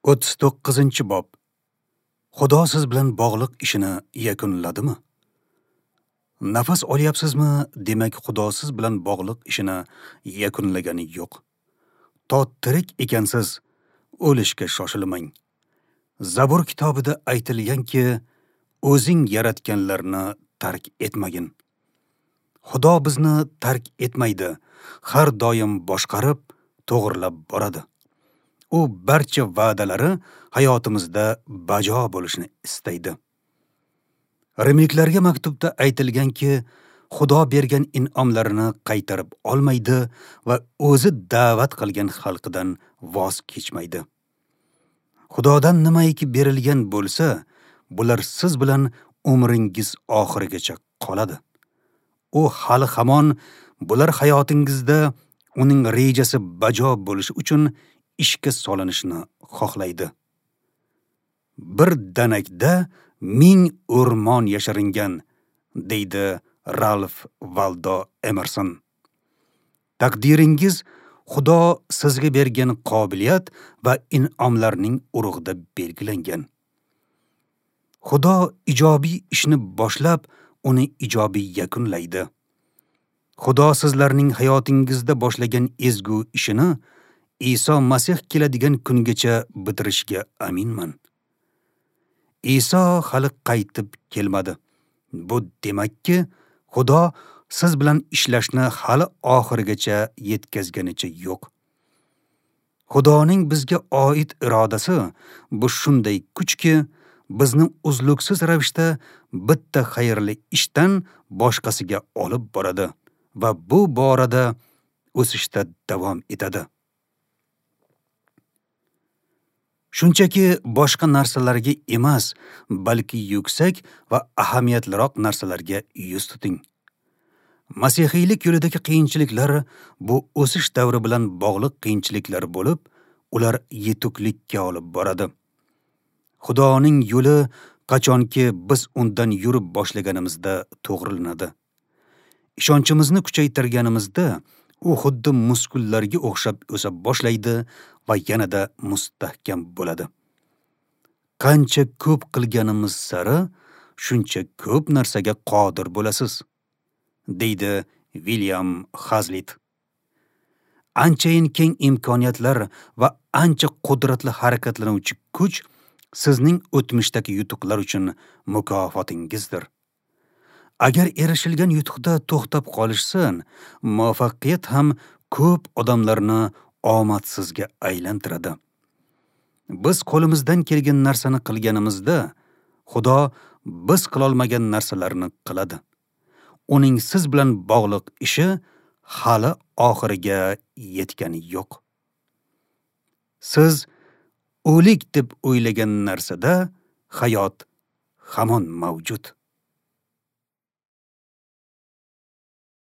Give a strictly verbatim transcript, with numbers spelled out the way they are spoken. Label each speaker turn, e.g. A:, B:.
A: o'ttiz to'qqizinchi bob. Xudo siz bilan bog'liq ishini yakunladimi? Nafas olyapsizmi, demak Xudo siz bilan bog'liq ishini yakunlagani yo'q. To tirik ekansiz, o'lishga shoshilmang. Zabur kitobida aytilganki, o'zing yaratganlarni tark etmagin. Xudo bizni tark etmaydi, har doim boshqarib, to'g'rilab boradi. U barcha va'dalari hayotimizda bajo bo'lishini istaydi. Rimliklarga maktubda aytilganki, Xudo bergan in'omlarini qaytarib olmaydi va o'zi da'vat qilgan xalqidan voz kechmaydi. Xudodan nimaiki berilgan bo'lsa, bular siz bilan umringiz oxirigacha qoladi. U hali hamon bular hayotingizda uning rejasi bajo bo'lishi uchun ishga solinishini xohlaydi. Bir danakda ming o'rmon yashiringan, deydi Ralf Valdo Emerson. Taqdiringiz Xudo sizga bergan qobiliyat va in'omlarning urug'ida belgilangan. Xudo ijobiy ishni boshlab, uni ijobiy yakunlaydi. Xudo sizlarning hayotingizda boshlagan ezgu ishini Iso Masih keladigan kungacha bitirishga aminman. Iso hali qaytib kelmadi. Bu demakki, Xudo siz bilan ishlashni hali oxirigacha yetkazganicha yo'q. Xudoning bizga oid irodasi bu shunday kuchki, bizni uzluksiz ravishda bitta xayrli ishdan boshqasiga olib boradi va bu borada o'sishda davom etadi. Shunchaki boshqa narsalarga emas, balki yuksak va ahamiyatliroq narsalarga yuz tuting. Masihiylik yo'lidagi qiyinchiliklar bu o'sish davri bilan bog'liq qiyinchiliklar bo'lib, ular yetuklikka olib boradi. Xudoning yo'li qachonki biz undan yurib boshlaganimizda to'g'rilanadi. Ishonchimizni kuchaytirganimizda u xuddi muskullarga o'xshab o'sa boshlaydi va yanada mustahkam bo'ladi. Qancha ko'p qilganimiz sari shuncha ko'p narsaga qodir bo'lasiz, deydi William Hazlitt. Anchayin keng imkoniyatlar va ancha qudratli harakatlanuvchi kuch sizning o'tmishdagi yutuqlar uchun mukofotingizdir. Agar erishilgan yutuqda to'xtab qolishsin, muvaffaqiyat ham ko'p odamlarni omadsizga aylantiradi. Biz qo'limizdan kelgan narsani qilganimizda, Xudo biz qilolmagan narsalarni qiladi. Uning siz bilan bog'liq ishi hali oxiriga yetgani yo'q. Siz o'lik deb o'ylagan narsada hayot hamon mavjud.